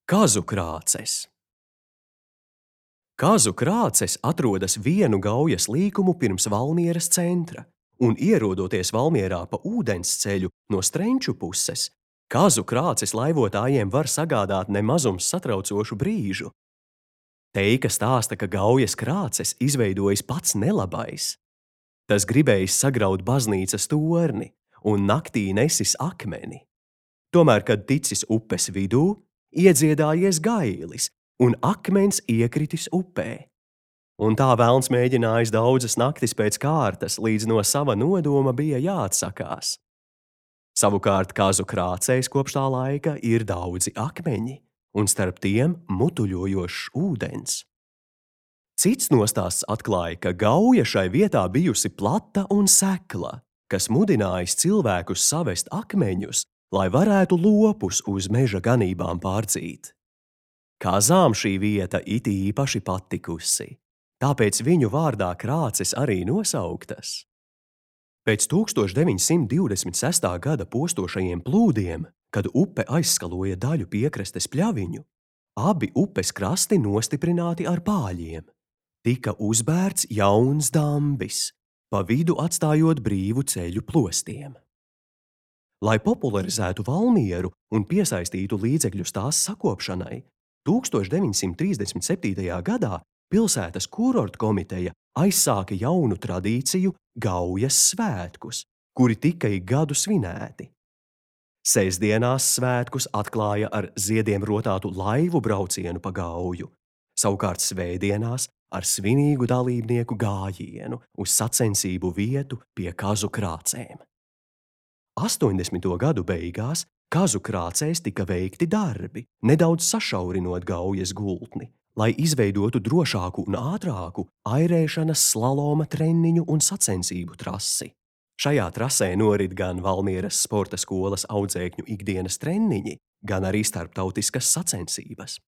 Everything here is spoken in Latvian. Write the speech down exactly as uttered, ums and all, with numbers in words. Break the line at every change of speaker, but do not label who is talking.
Kazu krāces. Kazu krāces atrodas vienu gaujas līkumu pirms Valmieras centra, un ierodoties Valmierā pa ūdensceļu no Strenču puses, kazu krāces laivotājiem var sagādāt nemazums satraucošu brīžu. Teika stāsta, ka gaujas krāces izveidojis pats nelabais. Tas gribējis sagraut baznīcas torni un naktī nesis akmeni. Tomēr, kad ticis upes vidū, iedziedājies gailis, un akmens iekritis upē. Un tā velns mēģinājis daudzas naktis pēc kārtas, līdz no sava nodoma bija jāatsakās. Savukārt kazu krācēs kopš tā laika ir daudzi akmeņi, un starp tiem mutuļojošs ūdens. Cits nostāsts atklāja, ka gauja šai vietā bijusi plata un sekla, kas mudinājis cilvēkus savest akmeņus, lai varētu lopus uz meža ganībām pārdzīt. Kazām šī vieta it īpaši patikusi, tāpēc viņu vārdā krāces arī nosauktas. Pēc tūkstoš deviņsimt divdesmit sestā gada postošajiem plūdiem, kad upe aizskaloja daļu piekrastes pļaviņu, abi upes krasti nostiprināti ar pāļiem. Tika uzbērts jauns dambis, pa vidu atstājot brīvu ceļu plostiem. Lai popularizētu Valmieru un piesaistītu līdzekļus tās sakopšanai, tūkstoš deviņsimt trīsdesmit septītajā gadā pilsētas kurortkomiteja aizsāka jaunu tradīciju Gaujas svētkus, kuri tika ik gadu svinēti. Sestdienās svētkus atklāja ar ziediem rotātu laivu braucienu pa Gauju, savukārt svētdienās ar svinīgu dalībnieku gājienu uz sacensību vietu pie kazu krācēm. astoņdesmito gadu beigās kazu krācēs tika veikti darbi, nedaudz sašaurinot Gaujas gultni, lai izveidotu drošāku un ātrāku airēšanas slaloma treniņu un sacensību trasi. Šajā trasē norit gan Valmieras sporta skolas audzēkņu ikdienas treniņi, gan arī starptautiskas sacensības.